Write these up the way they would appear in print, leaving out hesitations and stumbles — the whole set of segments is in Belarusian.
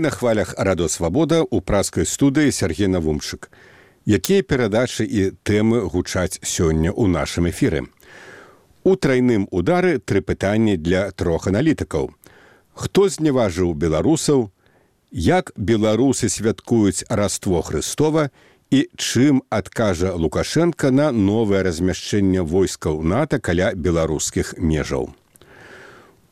Вы на хвалях Радо Свабода ў праскай студыі Сергей Навумчык. Якія перадачы і тэмы гучаць сёння ў нашым эфіры? У трайным удары 3 пытанні для 3 аналітыкаў. Хто зневажыў беларусаў? Як беларусы святкуюць Раство Хрыстова? І чым адкажа Лукашенко на новае размяшчэнне войскаў НАТО каля беларускіх межаў?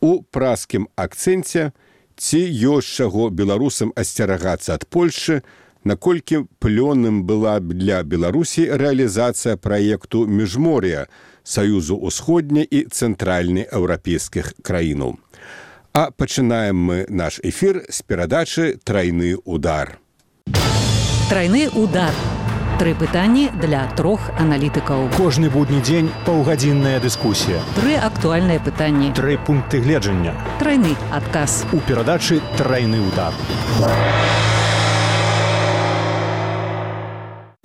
У праскім акцэнце ці ёсць чаго беларусам асцерагацца ад Польшы, наколькі плённым была б для Беларусі рэалізацыя праекту Міжмор'я Саюзу ўсходняй і цэнтральнай еўрапейскіх краінаў. А пачынаем мы наш эфір з перадачы «Трайны удар». Трайны удар. 3 пытанні для 3 аналітыкаў. Кожны будні дзень паўгадзінная дыскусія. 3 актуальныя пытанні. 3 пункты гледжання. Трайны адказ. У перадачы «Трайны удар».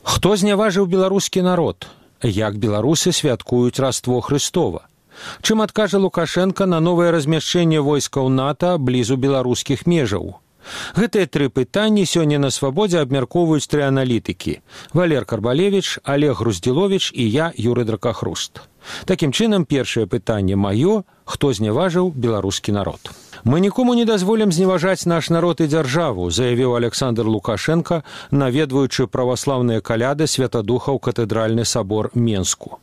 Хто зняважыў беларускі народ? Як беларусы святкуюць Раство Хрыстова? Чым адкажа Лукашенко на новае размяшчэнне войскаў НАТО блізу беларускіх межаў? Гэтыя 3 пытанні сёння на Свабодзе абмяркоўваюць 3 аналітыкі: Валер Карбалевіч, Олег Груздзіловіч і я, Юрый Дракахруст. Такім чынам, першае пытанне маё: хто зняважыў беларускі народ? Мы нікому не дазволім зневажаць наш народ і дзяржаву, заявіў Александр Лукашенко, наведваючы праваслаўныя каляды святадуха ў катэдральны сабор Менску.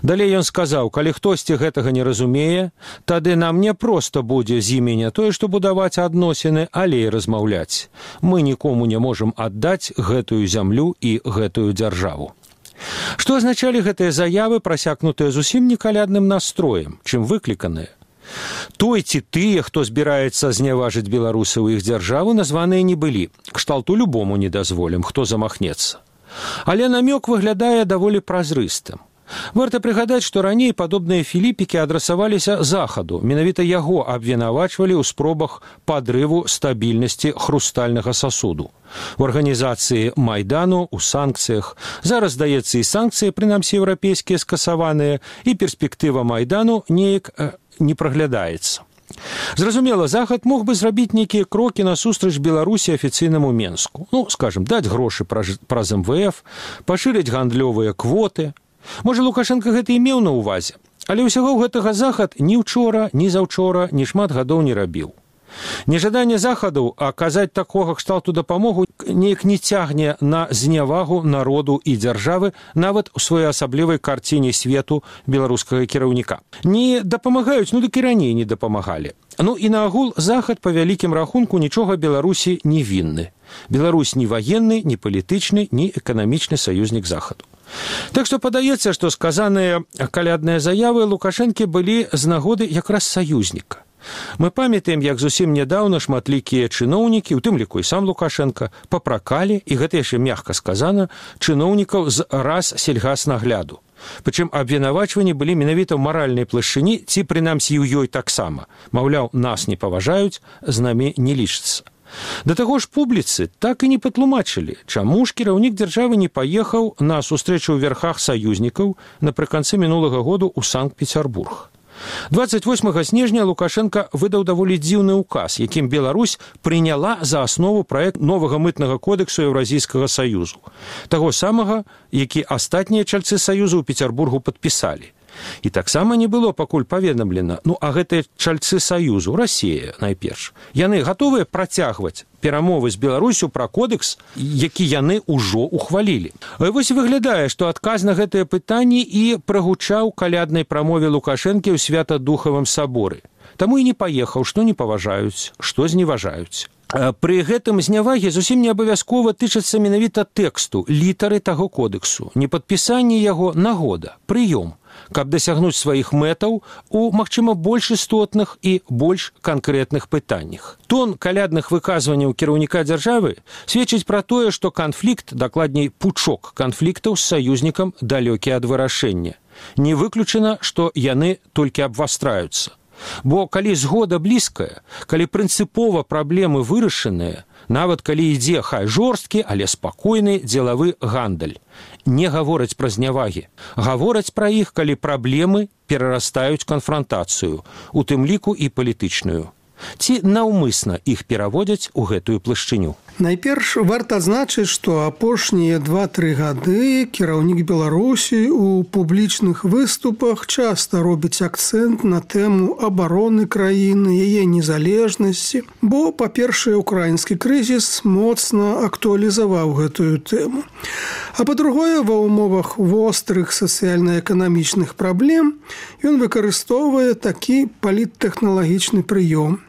Далей ён сказаў: калі хтосьці гэтага не разумее, тады нам не проста будзе з імі не тое, што будаваць адносіны, але і размаўляць. Мы нікому не можам аддаць гэтую зямлю і гэтую дзяржаву. Што азначалі гэтыя заявы, прасякнутыя зусім не калядным настроем, чым выкліканыя? Той ці тыя, хто збіраецца зняважыць беларусаў і іх дзяржаву, названыя не былі. Кшталту любому не дазволім, хто замахнецца. Але намёк выглядае даволі празрыстым. Варта прыгадаць, што раней падобныя філіпікі адрасаваліся захаду. Менавіта яго абвінавачвалі ў спробах падрыву стабільнасці хрустальнага сасуду. У арганізацыі Майдану, у санкцыях. Зараз, здаецца, і санкцыі, прынамсі еўрапейскія, скасаваныя, і перспектыва Майдану неяк не праглядаецца. Зразумела, захад мог бы зрабіць нейкія крокі насустрач Беларусі афіцыйнаму Менску. Скажам, даць грошы праз МВФ, пашырыць гандлёвыя квоты. Можа, Лукашенко гэта і меў на ўвазе, але ўсяго гэтага захад ні ўчора, ні заўчора, ні шмат гадоў не рабіў. Нежаданне захаду аказаць такога кшталту дапамогу неяк не цягне на знявагу народу і дзяржавы нават у своеасаблівай карціне свету беларускага кіраўніка. Не дапамагаюць, дык і раней не дапамагалі. І наогул захад па вялікім рахунку нічога Беларусі не вінны. Беларусь ні ваенны, ні палітычны, ні эканамічны саюзнік захаду. Так што падаецца, што сказаныя калядныя заявы Лукашэнкі былі з нагоды якраз саюзніка. Мы памятаем, як зусім нядаўна шматлікія чыноўнікі, у тым ліку і сам Лукашенко, папракалі, і гэта яшчэ мякка сказана, чыноўнікаў з Рассельгаснагляду. Прычым абвінавачванні былі менавіта ў маральнай плашчыні, ці прынамсі ў ёй таксама. Маўляў, нас не паважаюць, з намі не лічацца. Да таго ж публіцы так і не патлумачылі, чаму ж кіраўнік дзяржавы не паехаў на сустрэчу ў верхах саюзнікаў напрыканцы мінулага году ў Санкт-Пецярбург. 28 снежня Лукашенко выдаў даволі дзіўны ўказ, якім Беларусь прыняла за аснову праект новага мытнага кодексу Еўразійскага саюзу, таго самага, які астатнія чальцы саюзу ў Пецярбургу падпісалі. І таксама не было пакуль паведамлена, а гэтыя чальцы саюзу, Расія найперш, яны гатовыя працягваць перамовы з Беларусю пра кодекс, які яны ўжо ухвалілі. Вось выглядае, што адказ на гэтыя пытанні і прагучаў каляднай прамове Лукашэнкі ў Святадухавым саборы. Таму і не паехаў, што не паважаюць, што зневажаюць. Пры гэтым знявагі зусім не абавязкова тычацца менавіта тэксту, літары таго кодексу, не падпісанне яго, нагода, прыём, каб дасягнуць сваіх мэтаў у, магчыма, больш істотных і больш канкрэтных пытаннях. Тон калядных выказванняў кіраўніка дзяржавы сведчыць пра тое, што канфлікт, дакладней пучок канфліктаў з саюзнікам далёкі ад вырашэння. Не выключана, што яны толькі абвастраюцца. Бо калі згода блізкая, калі прынцыпова праблемы вырашаныя, нават калі ідзе хай жорсткі, але спакойны дзелавы гандаль, не гавораць пра знявагі. Гавораць пра іх, калі праблемы перарастаюць канфрантацыю, у тым ліку і палітычную. Ці наўмысна іх пераводзяць у гэтую плашчыню. Найперш варта адзначыць, што апошнія 2-3 гады кіраўнік Беларусі у публічных выступах часта робіць акцэнт на тэму абароны краіны, яе незалежнасці, бо, па-першае, украінскі крызіс моцна актуалізаваў гэтую тэму. А па-другое, ва ўмовах вострых сацыяльна-эканамічных праблем ён выкарыстоўвае такі паліттэхналагічны прыём.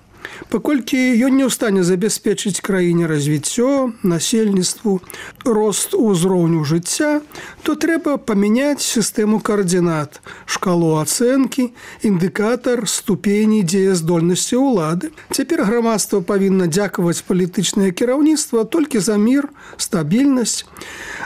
Паколькі ён не ў стане забяспечыць краіне развіццё, насельніцтву, рост узроўню жыцця, то трэба памяняць сістэму каардынат, шкалу ацэнкі, індыкатар ступені дзеяздольнасці ўлады. Цяпер грамадства павінна дзякаваць палітычнае кіраўніцтва толькі за мір, стабільнасць.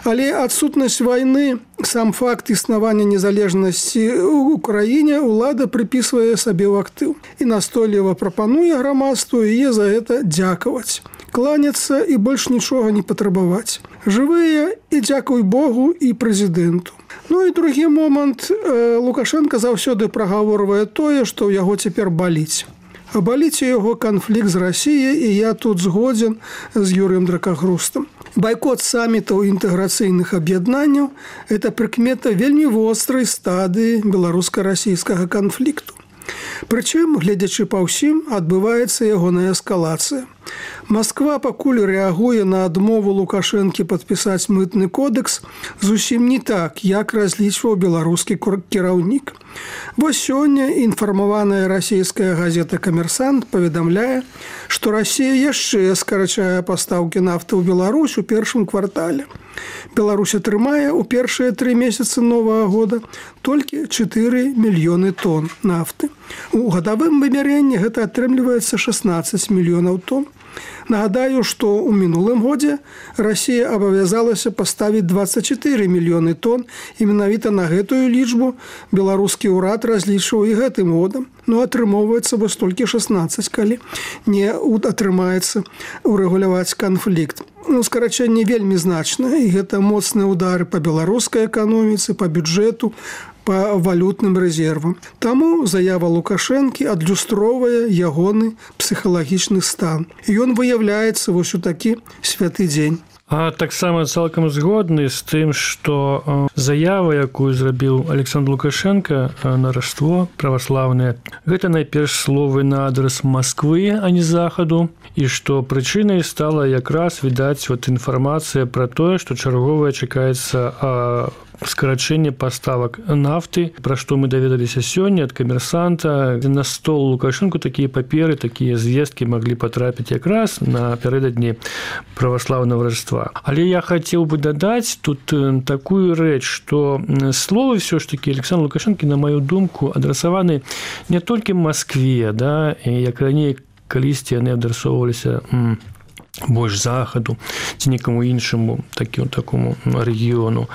Але адсутнасць вайны, сам факт існавання незалежнасці ў краіне ўлада прыпісвае сабе ў актыў і настойліва прапануе грамадству яе за гэта дзякаваць, кланяцца і больш нічога не патрабаваць. Жывыя і дзякуй Богу і прэзідэнту. Ну і другі момант. Лукашенко заўсёды прагаворвае тое, што ў яго цяпер баліць. А баліць у яго канфлікт з Расіяй, і я тут згодзен з Юрыем Дракагрустам. Байкот самітаў інтэграцыйных аб'яднанняў – гэта прыкмета вельмі вострай стадыі беларуска-расійскага канфлікту. Прычым, гледзячы па ўсім, адбываецца ягоная эскалацыя. Масква пакуль рэагуе на адмову Лукашэнкі падпісаць мытны кодекс зусім не так, як разлічваў беларускі кіраўнік. Вось сёння інфармаваная расійская газета «Камерсант» паведамляе, што Расія яшчэ скарачае пастаўкі нафты ў Беларусь у першым квартале. Беларусь атрымае ў першыя 3 месяцы новага года толькі 4 мільёны тонн нафты. У гадавым вымярэнні гэта атрымліваецца 16 мільёнаў тонн. Нагадаю, што ў мінулым годзе Расія абавязалася паставіць 24 мільёны тонн, і менавіта на гэтую лічбу беларускі ўрад разлічваў і гэтым годам. Ну, атрымоўваецца вось толькі 16, калі не атрымаецца урэгуляваць канфлікт. Ну, скарачэнне вельмі значнае, і гэта моцныя ўдары па беларускай эканоміцы, па бюджэту, па валютным рэзервам. Таму заява Лукашэнкі адлюстроўвае ягоны псіхалагічны стан. І ён выяўляецца вось у такі святы дзень. А таксама цалкам згодны з тым, што заява, якую зрабіў Александр Лукашенко на Раство праваслаўнае, гэта найперш словы на адрас Масквы, а не захаду, і што прычынай стала якраз, відаць, інфармацыя пра тое, што чарговая чакаецца скарачэнне паставак нафты, пра што мы даведаліся сёння ад камерсанта. На стол Лукашэнку такія паперы, такія звесткі маглі патрапіць якраз напярэдадні праваслаўнага Раства. Але я хацеў бы дадаць тут такую рэч, што словы ўсё ж такі Александра Лукашэнкі, на маю думку, адрасаваны не толькі Маскве, да, як раней калісьці яны адрасоўваліся больш захаду ці некаму іншаму такому рэгіёну.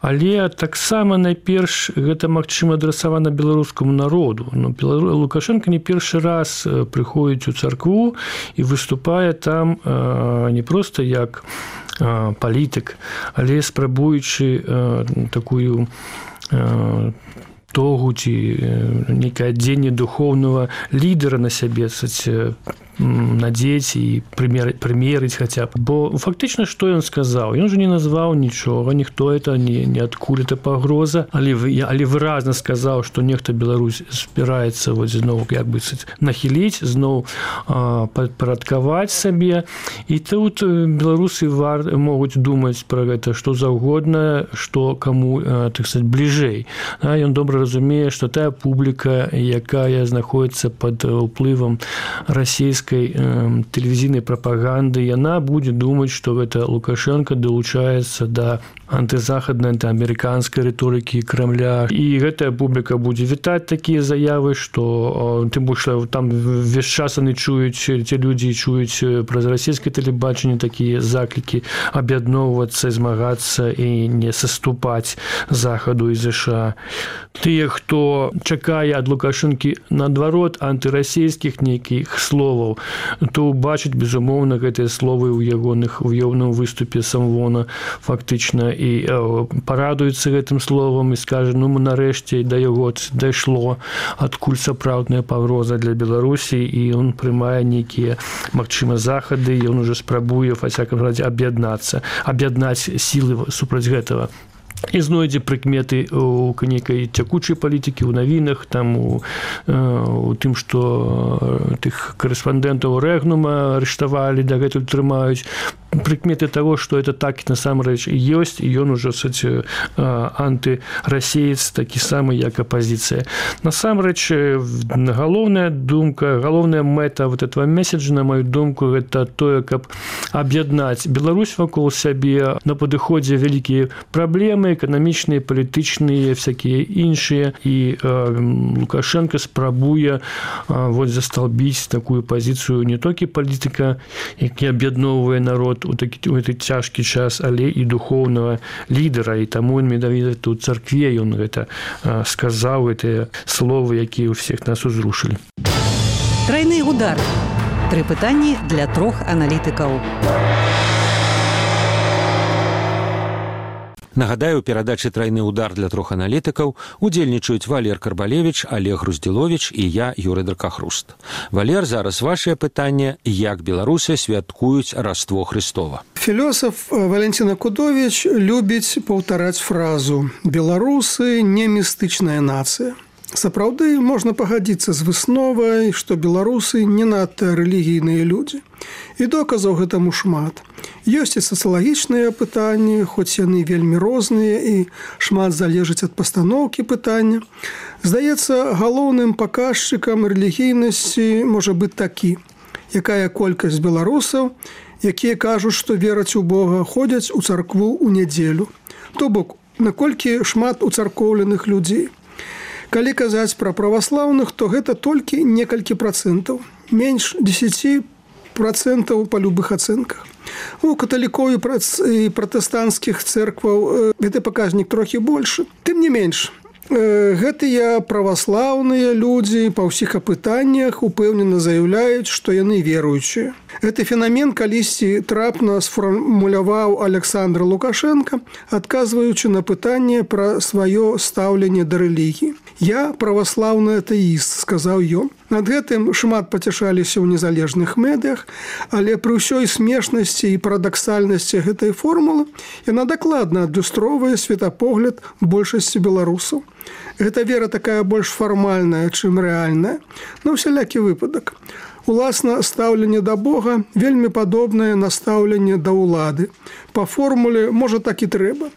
Але таксама найперш гэта, магчыма, адрасавана беларускаму народу. Лукашенко не першы раз прыходзіць у царкву і выступае там не проста як палітык, але спрабуючы такую тогу ці некае адзенне духоўнага лідара на сябе, надзець і прымерыць хаця б. Бо фактычна што ён сказаў? Ён жа не назваў нічога, ніхто это не адкуль это пагроза, але выразна сказаў, што нехта Беларусь збіраецца зноў як бы нахіліць, зноў падпарадкаваць сабе. І тут беларусы могуць думаць пра гэта што заўгодна, што каму, так сказаць, бліжэй. Ён добра разумее, што тая публіка, якая знаходіцца пад уплывам расійскай тэлевізійнай прапаганды, яна будзе думаць, што гэта Лукашенко далучаецца да антызахаднай, антыамерыканскай рыторыкі Крамля. І гэтая публіка будзе вітаць такія заявы, што тым больш там ўвесь час яны чуюць, ці людзі чуюць праз расійскае тэлебачанне такія заклікі аб'ядноўвацца, змагацца і не саступаць захаду і ЗША. Тыя, хто чакае ад Лукашэнкі наадварот антырасійскіх нейкіх словаў, то убачыць, безумоўна, гэтыя словы ў ягоным выступе самвона фактычна і парадуецца гэтым словам і скажа, ну мы нарэшце да яго дайшло, адкуль сапраўдная пагроза для Беларусі, і ён прымае нейкія, магчыма, захады, і ён уже спрабуе, во всяком разе, аб'яднаць сілы супраць гэтага. І знойдзе прыкметы у нейкай цякучай палітыкі, у навінах, там у тым, што тых корэспандэнтаў Рэгнума арыштавалі, дагэтуль трымаюць. Прыкметы таго, што это так насамрэч ёсць, і ён ужо антырасеец такі самы, як апазіцыя. Насамрэч, галоўная думка, галоўная мэта вот этого месседжа, на маю думку, гэта тое, каб аб'яднаць Беларусь вакол сябе. На падыходзе вялікія праблемы, эканамічныя, палітычныя, всякія іншыя, і Лукашенко спрабуе засталбіць такую пазіцыю не толькі палітыка, які аб'ядноўвае народ у гэты цяжкі час, але і духоўнага лідара, і таму менавіта тут царкве ён гэта сказаў, гэтыя словы, якія ў всех нас узрушылі. Трайны удар. 3 пытанні для 3 аналітыкаў. Нагадаю, у перадачы «Трайны удар» для 3 аналітыкаў удзельнічаюць Валер Карбалевіч, Олег Груздзіловіч і я, Юрый Дракахруст. Валер, зараз вашае пытанне: як беларусы святкуюць Раство Христова? Філосаф Валентина Кудович любіць паўтараць фразу «Беларусы не містычная нацыя». Сапраўды, можна пагадзіцца з высновай, што беларусы не надта рэлігійныя людзі. І доказаў гэтаму шмат. Ёсць і сацыялагічныя пытанні, хоць яны вельмі розныя і шмат залежыць ад пастаноўкі пытання. Здаецца, галоўным паказчыкам рэлігійнасці можа быць такі: якая колькасць беларусаў, якія кажуць, што вераць у Бога, ходзяць у царкву ў нядзелю. То бок, наколькі шмат уцаркоўленых людзей. Калі казаць пра праваслаўных, то гэта толькі некалькі працэнтаў, менш 10% па любых ацэнках. У каталікоў і пратэстанцкіх цэркваў гэты паказнік трохі большы. Тым не менш, гэтыя праваслаўныя людзі па ўсіх апытаннях упэўнена заяўляюць, што яны веруючыя. Гэты фенамен калісьці трапна сфармуляваў Александр Лукашенко, адказваючы на пытанне пра сваё стаўленне да рэлігіі. «Я праваслаўны атэіст», сказаў ён. Над гэтым шмат пацяшаліся ў незалежных медыях, але пры ўсёй смешнасці і парадаксальнасці гэтай формулы яна дакладна адлюстроўвае светапогляд большасці беларусаў. Гэта вера такая больш фармальная, чым рэальная, на ўсялякі выпадак. Уласна, стаўленне да Бога вельмі падобнае на стаўленне да ўлады. Па формуле, можа, так і трэба.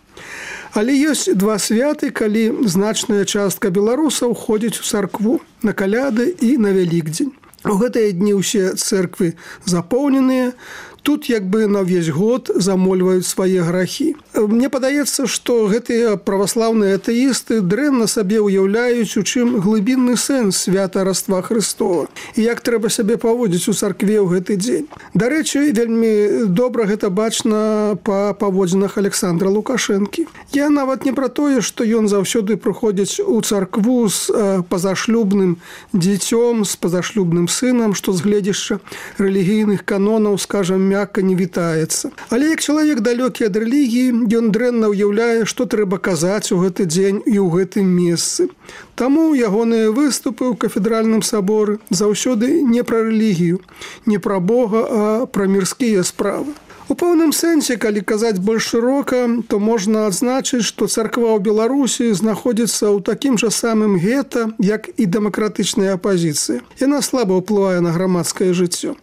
Але ёсць 2 святы, калі значная частка беларусаў ходзіць у царкву на каляды і на Вялікдзень. У гэтыя дні ўсе цэрквы запоўненыя, тут як бы на ўвесь год замольваюць свае грахі. Мне падаецца, што гэтыя праваслаўныя атэісты дрэнна сабе ўяўляюць, у чым глыбінны сэнс свята Раства Христова і як трэба сябе паводзіць у царкве ў гэты дзень. Дарэчы, вельмі добра гэта бачна па паводзінах Александра Лукашэнкі. Я нават не пра тое, што ён заўсёды прыходзіць у царкву з пазашлюбным дзіцём, з пазашлюбным сынам, што з гледзяшча рэлігійных канонаў, скажам, мякка не вітаецца. Але як чалавек далёкі ад рэлігіі, ён дрэнна ўяўляе, што трэба казаць у гэты дзень і ў гэтым месцы. Таму ягоныя выступы ў кафедральным саборы заўсёды не пра рэлігію, не пра Бога, а пра мірскія справы. У пэўным сэнсе, калі казаць больш шырока, то можна адзначыць, што царква ў Беларусі знаходзіцца ў такім жа самым гета, як і дэмакратычная апазіцыя. Яна слаба ўплывае на грамадскае жыццё.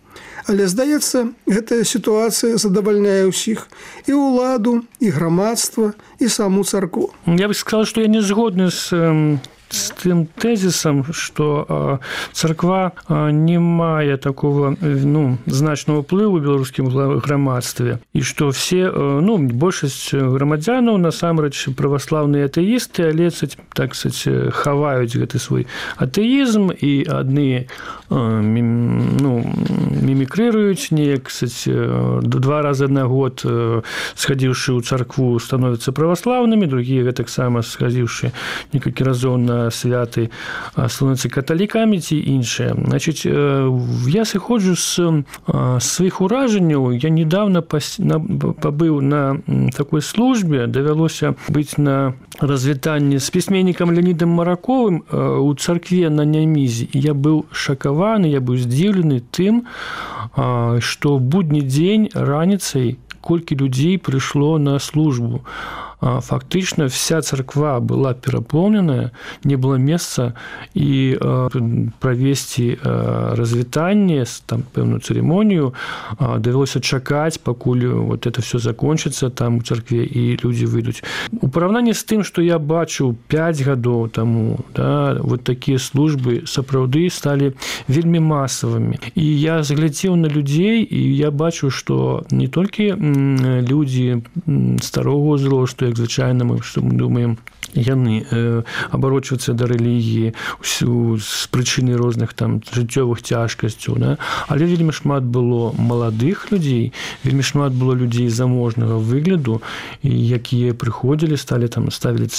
Але, здаецца, гэтая сітуацыя задавальняе ўсіх. І ўладу, і грамадства, і саму царкву. Я бы сказал, что я не згодны с тым тезісам, што царква не мае такого значного ўплыву ў беларускім грамадстве, і што все, большасць грамадзянаў насамрэч праваслаўныя атэісты, але так сказать, хаваюць гэты свой атэізм, і адны мімікрыруюць неяк, 2 разы на год схадзіўшы ў царкву становяцца праваслаўнымі, другія гэтаксама схадзіўшы некалькі разоў на святы становяцца каталікамі ці іншыя. Значыць, я сыходжу з сваіх уражанняў. Я недавно пабыў на такой службе, давялося быць на развітанні з пісьменнікам Леонідам Мараковым у царкве на Нямізе. Я быў шакаваны, я быў здзіўлены тым, што будні дзень раніцай колькі людзей прыйшло на службу. Фактычна вся царква была перапоўненая, не было месца, і правесці развітанне, там пэўную цырымонію давялося чакаць, пакуль вот это все закончыцца там у царкве і людзі выйдуць. У параўнанні з тым, што я бачыў 5 гадоў таму, да, вот такія службы сапраўды сталі вельмі масавымі. І я заглядзеў на людзей, і я бачу, што не толькі людзі старога ўзросту, як звычайна мы думаем, яны абарочваюцца да рэлігіі з прычыны розных там жыццёвых цяжкасцяў, да? Але вельмі шмат было маладых людзей, вельмі шмат было людзей заможнага выгляду, якія прыходзілі, ставілі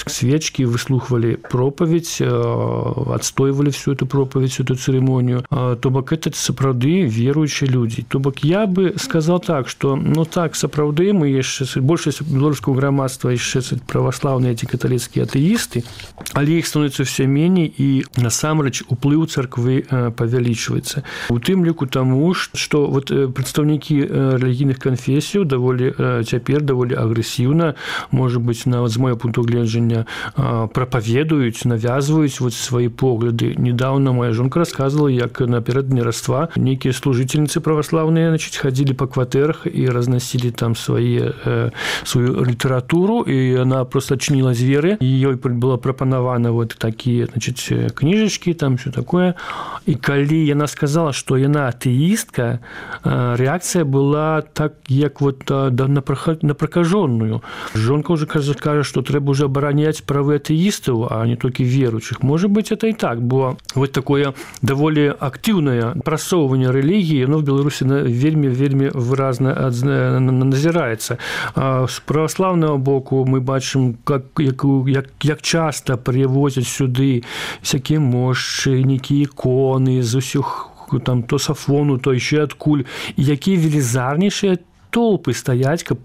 свечкі, выслухвалі пропаведь, адстойвалі всю эту пропаведь, всю эту цырымонію. То бок это сапраўды веруючыя людзі. То бок я бы сказал так, што так, сапраўды мы яшчэ большасць беларускага грамадства яшчэ праваслаўныя ці каталіцкія атэісты, але іх становіцца ўсё меней, і насамрэч уплыў царквы павялічваецца. У тым ліку таму, што вот прадстаўнікі рэлігійных канфесіяў цяпер даволі агрэсіўна, можа быць, з майго пункту гледжання, прапаведуюць, навязваюць вот свае погляды. Недаўна моя жонка расказвала, як наперададні Раства нейкія служыцельніцы праваслаўныя хадзілі па кватэрах і разносілі там сваю літаратуру, і яна просто адчыніла дзверы, і ёй была прапанавана вот такія, значыць, кніжачкі, там все такое. І калі яна сказала, што яна атэістка, рэакцыя была так, як вот на пракажоную. Жонка ўжо кажа, што трэба ўжо абараняць правы атэістаў, а не толькі веруючых. Можа быць, это і так, бо вот такое даволі актыўнае прасоўванне рэлігіі, в Беларусі вельмі выразна назіраецца. З праваслаўнага боку мы бачым, як часта прывозяць сюды всякія мошчы, нейкія іконы з усіх там то сафону, то яшчэ адкуль, і якія велізарнейшыя толпы стаяць, каб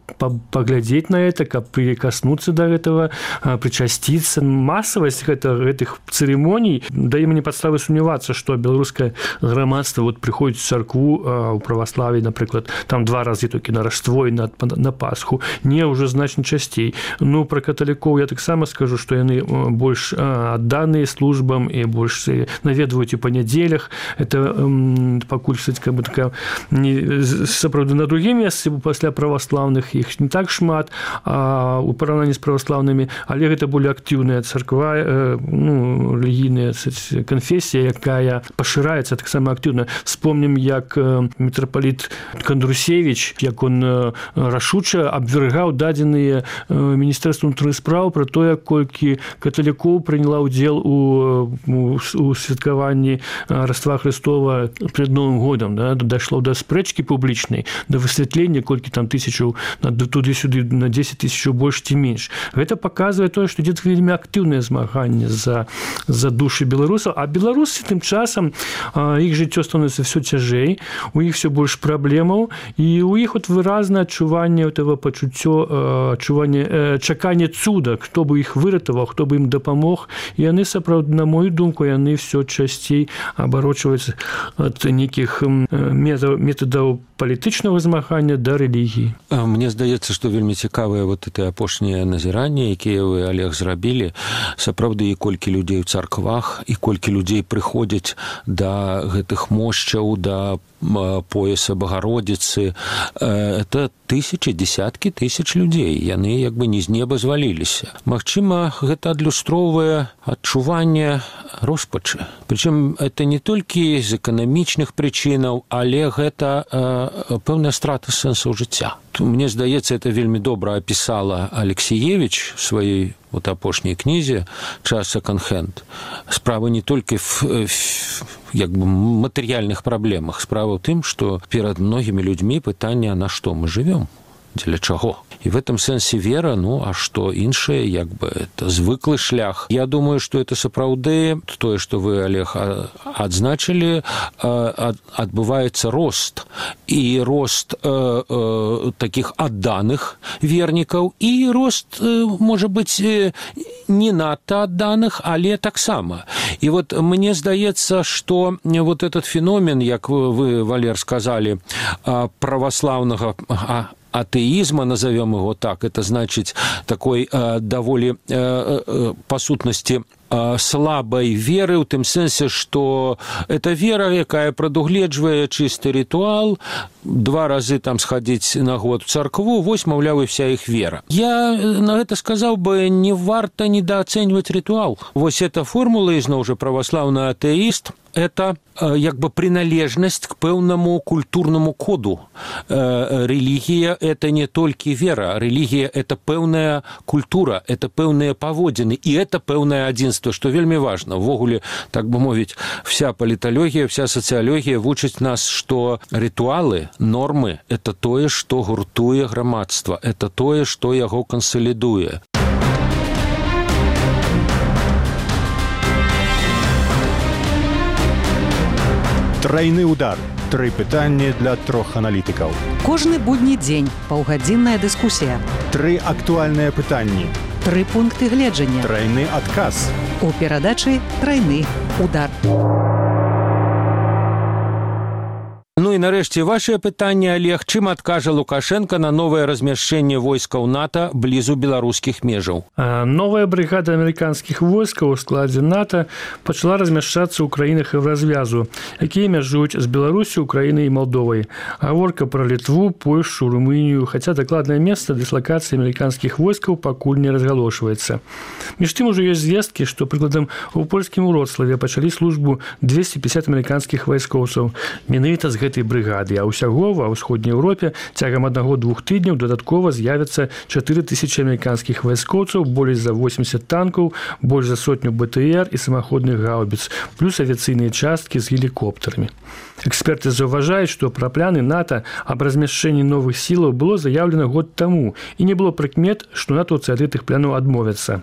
паглядзець на это, каб прикаснуцца да гэтага, прычасціцца. Масавасць гэтых цырымоній дае мне падставы сумнявацца, што беларускае грамадства вот прыходзіць у царкву у праваславі, напрыклад, там 2 разы толькі на Раштво і на Пасху, не ўжо значна часцей. Пра каталікоў я таксама скажу, што яны больш адданыя службам і больш наведваюць у панядзелях. Это пакуль сапраўды на другім месцы пасля праваслаўных іх не так шмат, у параўнанні з праваслаўнымі, але гэта более актыўная царква, рэлігійная канфесія, якая пашыраецца таксама актыўна. Вспомнім, як мітрапаліт Кандрусевіч, як он рашуча абвяргаў дадзеныя Міністэрству ўнутраных спраў пра тое, колькі каталікоў прыняла ўдзел у святкаванні Раства Хрыстова перад Новым годам. Дайшло да спрэчкі публічнай, да высвятлення, колькі там тысячаў, туды-сюды на 10 тысячаў больш ці менш. Гэта паказвае тое, што ідзе вельмі актыўнае змаганне за душы беларусаў, а беларусы тым часам іх жыццё становіцца ўсё цяжэй, у іх все больш праблемаў, і у іх выразнае адчуванне этого пачуццё, чаканне цуда, хто бы іх выратаваў, хто бы ім дапамог. І яны сапраўды, на мою думку, яны все часцей абарочваюцца ад нейкіх метадаў палітычнага змагання да рэлігіі. Мне здаецца, што вельмі цікавыя вот это апошнія назіранні, якія вы, Олег, зрабілі. Сапраўды, і колькі людзей у царквах, і колькі людзей прыходзяць да гэтых мошчаў, да пояса Богородицы. Это тысячи, десяткі тысяч людзей. Яны як бы не з неба зваліліся. Магчыма, гэта адлюстроўвае адчуванне роспачы. Прычым это не толькі з эканамічных прычынаў, але гэта пэўная страта сэнсу жыцця. Мне здаецца, это вельмі добра апісала Алексіевіч в сваёй вот апошняй кнізе «Час секонд-хенд». Справа не толькі в як бы матэрыяльных праблемах. Справа ў тым, што перад многімі людзьмі пытанне, на што мы жывём, дзеля чаго. І в этом сэнсе вера, ну, а што іншае, як бы, это звыклы шлях. Я думаю, што это сапраўды, тое, што вы, Олег, адзначылі, адбываецца рост. І рост такіх адданых вернікаў, і рост, можа быць, не надта адданых, але таксама. І вот мне здаецца, што вот этот феномен, як вы, Валер, сказали, православного атеизма, назовем его так, это значит такой довольно, по сутности, слабой веры, в тым сэнсе, што это вера, якая прадугледжвае чысты ритуал, 2 разы там сходить на год в царкву, вось, маўляў, і вся іх вера. Я на гэта сказаў бы, не варта недооценивать ритуал. Вось эта формула, ізноў жа православны атэіст, это як бы приналежность к пэўнаму культурнаму коду. Религия – это не толькі вера. Религия – это пэўная культура, это пэўныя паводзіны, і это пэўнае адзінства, што вельмі важна. Ввогуле, так бы мовіць, вся паліталогія, вся сацыялогія вучыць нас, што ритуалы, нормы – это тое, што гуртуе грамадства, это тое, што яго кансалідуе. Трайны удар. 3 пытанні для 3 аналітыкаў. Кожны будні дзень паўгадзінная дыскусія. 3 актуальныя пытанні. 3 пункты гледжання. Трайны адказ. У перадачы «Трайны удар». Ну і нарэшце вашае пытанне, Олег, чым адкажа Лукашенко на новае размяшчэнне войскаў НАТО блізу беларускіх межаў? Новая бригада амерыканскіх войскаў у складзе НАТО пачала размяшчацца ў краінах Еўразвязу, якія мяжуюць з Беларусю, Украінай і Малдовай. Гаворка пра Літву, Польшу, Румынію, хаця дакладнае месца дыслакацыі амерыканскіх войскаў пакуль не разгалошваецца. Між тым ужо ёсць звесткі, што, прыкладам, у польскім Уроцлаве пачалі службу 250 амерыканскіх вайскоўцаў. Менавіта з гэтай брыгады, а ўсяго ва ўсходняй Еўропе цягам 1-2 тыдняў дадаткова з'явяцца 4000 амерыканскіх вайскоўцаў, болей за 80 танкаў, больш за 100 БТР і самаходных гаубіц, плюс авіяцыйныя часткі з гелікоптарамі. Эксперты заўважаюць, што пра пляны НАТО аб размяшчэнні новых сілаў было заяўлена год таму, і не было прыкмет, што натоўцы ад гэтых плянаў адмовяцца.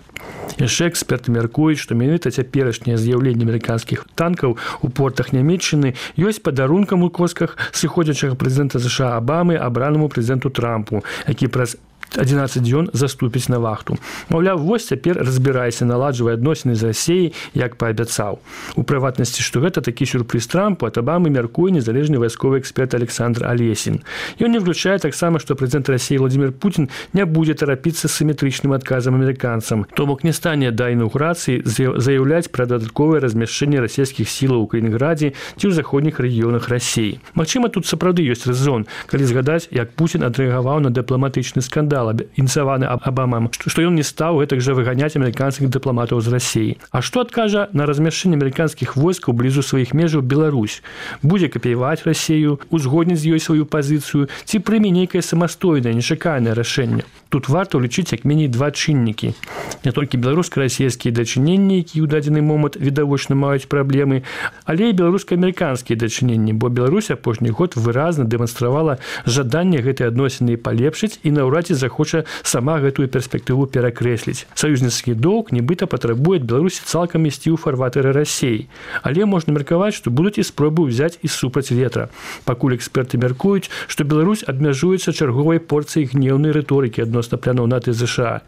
Яшчэ эксперты мяркуюць, што менавіта цяперашняе з'яўленне амерыканскіх танкаў у портах Нямецчыны ёсць падарункам у косках сыходзячага прэзідэнта США Абамы абранаму прэзідэнту Трампу, які праз 11 дзён заступіць на вахту. Маўляў, вось цяпер разбірайся, наладжвай адносіны з Расіяй, як паабяцаў. У прыватнасці, што гэта такі сюрпрыз Трампу, ад Абамы мяркуе незалежны вайсковы эксперт Александр Алесін. Ён не выключае таксама, што прэзідэнт Расіі Владзімір Пуцін не будзе тарапіцца з сіметрычным адказам амерыканцам. То бок не стане да інаўгурацыі заяўляць пра дадатковае размяшчэнне расійскіх сілаў у Калінінградзе ці ў заходніх рэгіёнах Расіі. Магчыма, тут сапраўды ёсць рэзон, калі згадаць, як Пуцін адрэагаваў на дыпламатычны скандал, ініцыяваны Абамам, што ён не стаў гэтак жа выганяць амерыканскіх дыпламатаў з Расіі. А што адкажа на размяшчэнне амерыканскіх войскаў блізу сваіх межаў Беларусь? Будзе капіяваць Расію, узгодніць з ёй сваю пазіцыю, ці прыме нейкае самастойнае, нечаканае рашэнне? Тут варта ўлічыць як меней 2 чыннікі. Не толькі беларуска-расійскія дачыненні, якія ў дадзены момант відавочна маюць праблемы, але і беларуска-амерыканскія дачыненні, бо Беларусь апошні год выразна дэманстравала жаданне гэтай адносіны палепшыць і наўрад ці захоча сама гэтую перспектыву перакрэсліць. Саюзніцкі доўг нібыта патрабуе ад Беларусі цалкам ісці ў фарватэры Расіі. Але можна меркаваць, што будуць і спробы ўзяць і супраць ветра. Пакуль эксперты мяркуюць, што Беларусь абмяжуецца чарговай порцыяй гнеўнай рыторыкі адносна плянаў НАТО і ЗША.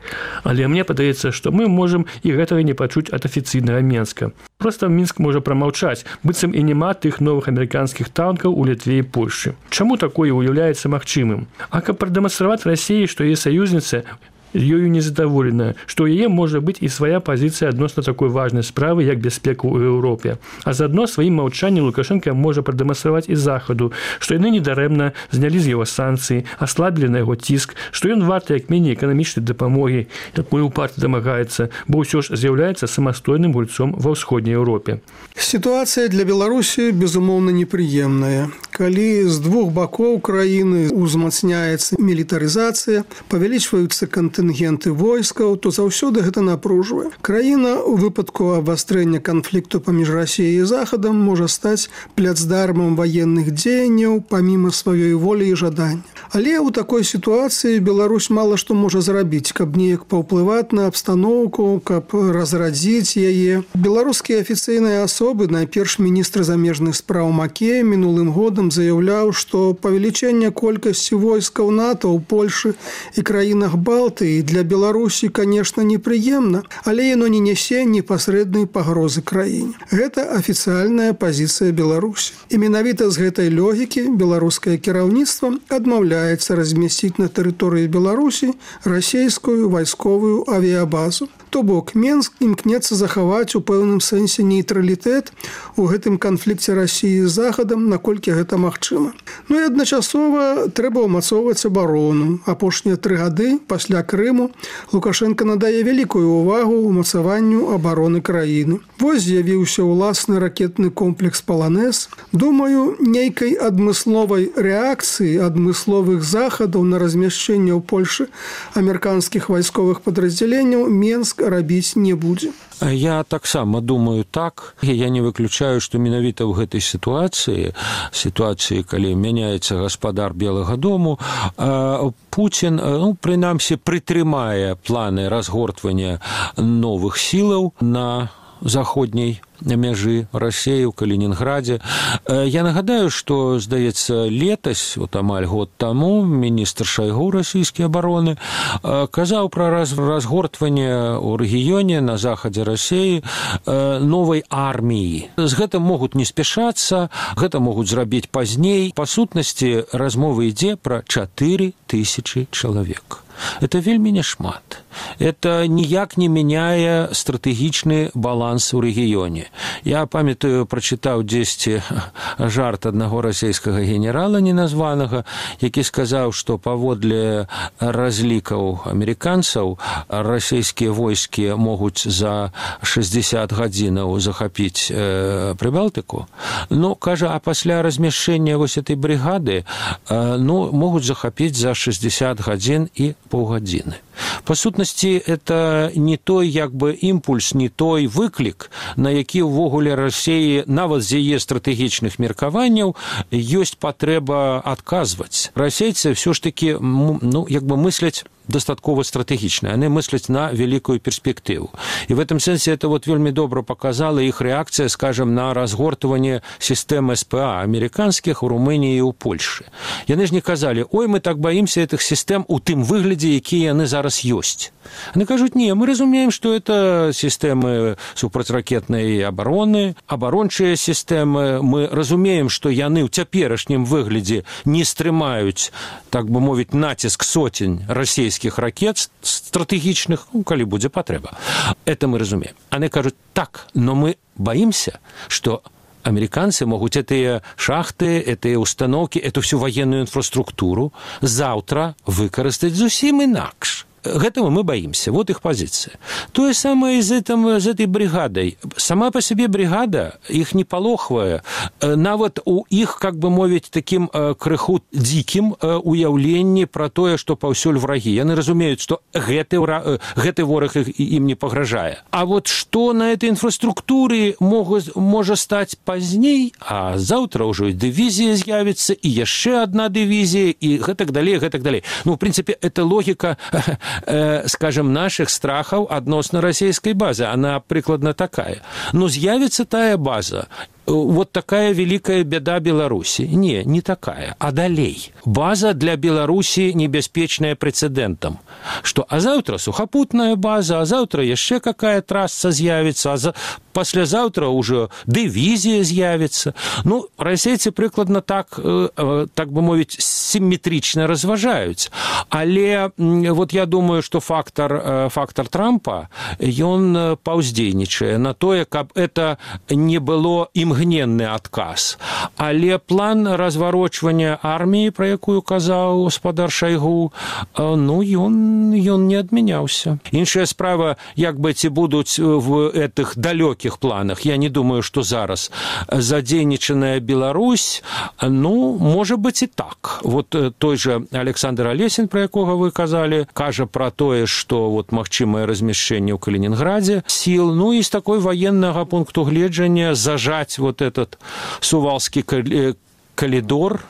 Але мне падаецца, што мы можам і гэтага не пачуць ад афіцыйнага Мінска. Проста Мінск можа прамаўчаць, быццам і няма тых новых амерыканскіх танкаў у Літве і Польшчы. Чаму такое ўяўляецца магчымым? А каб прадэманстраваць Расіі, што яе саюзніца ёю незадаволеная, што ў яе можа быць і свая пазіцыя адносна такой важнай справы, як бяспека ў Еўропе. А заадно сваім маўчаннем Лукашенко можа прадэманстраваць і Захаду, што яны недарэмна знялі з яго санкцыі, аслабілі на яго ціск, што ён варты як меней эканамічнай дапамогі, якой упарта дамагаецца, бо ўсё ж з'яўляецца самастойным гульцом ва ўсходняй Еўропе. Сітуацыя для Беларусі, безумоўна, непрыемная. калі з двух бакоў краіны узмацняецца мілітарызацыя, павялічваюцца кантынгенты войскаў, то заўсёды гэта напружвае. Краіна у выпадку абвастрэння канфлікту паміж Расіяй і Захадам можа стаць пляцдармам ваенных дзеянняў паміма сваёй волі і жадання. Але ў такой сітуацыі Беларусь мала што можа зрабіць, каб неяк паўплываць на абстаноўку, каб разрадзіць яе. Беларускія афіцыйныя асобы, найперш міністр замежных спраў Макея мінулым годам заяўляў, што павелічэнне колькасці войскаў НАТО ў Польшы і краінах Балтыі для Беларусі, канешне, непрыемна, але яно не нясе непасрэднай пагрозы краіне. Гэта афіцыяльная пазіцыя Беларусі. І менавіта з гэтай логікі беларускае кіраўніцтва адмаўляецца размясціць на тэрыторыі Беларусі расійскую вайсковую авіябазу. То бок, Менск імкнецца захаваць у пэўным сэнсе нейтралітэт у гэтым канфлікце Расіі з Захадам, наколькі гэта магчыма. Ну і адначасова трэба ўмацоўваць абарону. Апошнія 3 гады пасля Крыму Лукашенко надае вялікую ўвагу ўмацаванню абароны краіны. Вось з'явіўся ўласны ракетны комплекс «Паланез». Думаю, нейкай адмысловай рэакцыі, адмысловых захадаў на размяшчэнне ў Польшы амерыканскіх вайсковых падраздзяленняў Менск рабіць не будзе. Я таксама думаю так. Я не выключаю, што менавіта ў гэтай сітуацыі, калі мяняецца гаспадар Белага дому, Пуцін, прынамсі, прытрымае планы разгортвання новых сілаў на заходняй мяжы Расіі ў Калінінградзе. Я нагадаю, што, здаецца, летась, амаль год таму, міністр Шайгу расійскай абароны казаў пра разгортванне ў рэгіёне на захадзе Расіі новай арміі. З гэтым могуць не спяшацца, гэта могуць зрабіць пазней. Па сутнасці, размова ідзе пра 4000 чалавек. Это вельмі няшмат. Это ніяк не мяняе стратэгічны баланс у рэгіёне. Я памятаю, прачытаў дзесьці жарт аднаго расійскага генерала неназванага, які сказаў, што паводле разлікаў амерыканцаў расійскія войскі могуць за 60 гадзінаў захапіць Прыбалтыку. Кажа, а пасля размяшчэння вось этой бригады могуць захапіць за 60 гадзін і паўгадзіны. Па сутнасці, это не той імпульс, не той выклік, на які ўвогуле Расіі, нават з яе стратэгічных меркаванняў, ёсць патрэба адказваць. Расейцы ўсё ж такі мысляць дастаткова стратэгічна. Яны мысляць на вялікую перспектыву. І в этом сэнсе это вельмі добра показала іх рэакцыя, скажем, на разгортванне сістэм СПА амерыканскіх у Румыніі і ў Польшы. Яны ж не казалі, ой, мы так баімся гэтых сістэм у тым выглядзе, якія яны зараз ёсць. Яны кажуць, не, мы разумеем, што это сістэмы супрацьракетнай абароны, абарончыя сістэмы. Мы разумеем, што яны ў цяперашнім выглядзе не стрымаюць, так бы мовіць, націск сотень расійскіх ракет стратэгічных, калі будзе патрэба. Это мы разумеем. Они кажуць, так, но мы боимся, что американцы могут этыя шахты, этыя установки, эту всю военную инфраструктуру завтра выкарыстаць зусім інакш. Гэтага мы боимся. Вот их позиция. То же самое и с этой бригадой. Сама по себе бригада, их не палохвае. Нават у іх, как бы мовіць, таким крыху дзікім уяўленні пра тое, што паўсюль врагі. Яны разумеюць, што гэты вораг ім не пагражае. А вот што на этой инфраструктуре можа стаць пазней, а заўтра ўжо і дывізія з'явіцца, і яшчэ одна дывізія, і гэтак далей, гэтак далей. В принципе, это логика, скажем, наших страхов относно российской базы. Она прикладно такая. Но з'явится тая база. Вот такая великая беда Беларуси. Не такая, а далей. База для Беларуси небяспечная прецедентом. Что, а завтра сухопутная база, а завтра яшчэ какая трасса з'явится, а паслязаўтра уже дывізія з'явится. Расейцы прыкладна так бы мовіць, симметрично разважаюць. Але вот я думаю, что фактор Трампа, ён паўздзейнічае на тое, каб это не было імгненным імгненны адказ. Але план разварочвання арміі, пра якую казаў гаспадар Шайгу, ён не адмяняўся. Іншая справа, як бы ці будуць в этих далёкіх планах. Я не думаю, што зараз задзейнічаная Беларусь, можа быць і так. Вот той же Александр Алесін, пра якога вы казалі, кажа пра тое, што магчымае размяшчэнне ў Калінінградзе сіл, і з такой военнага пункту гледжання зажаць этот сувалскі калідор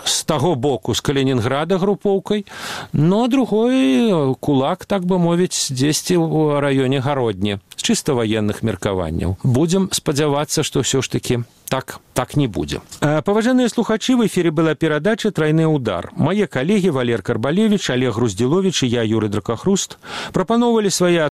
з таго боку, з Калінінграда групоўкай, а другой кулак, так бы мовіць, дзесьці ў раёне Гародні, з чыста военных меркаванняў. Будзем спадзявацца, што ўсё ж такі так не будзе. Паважаныя слухачы, в эфире была перадача «Тройны удар». Мае калегі Валер Карбалевич, Олег Груздзіловіч і я, Юрый Дракахруст, прапаноўвалі свае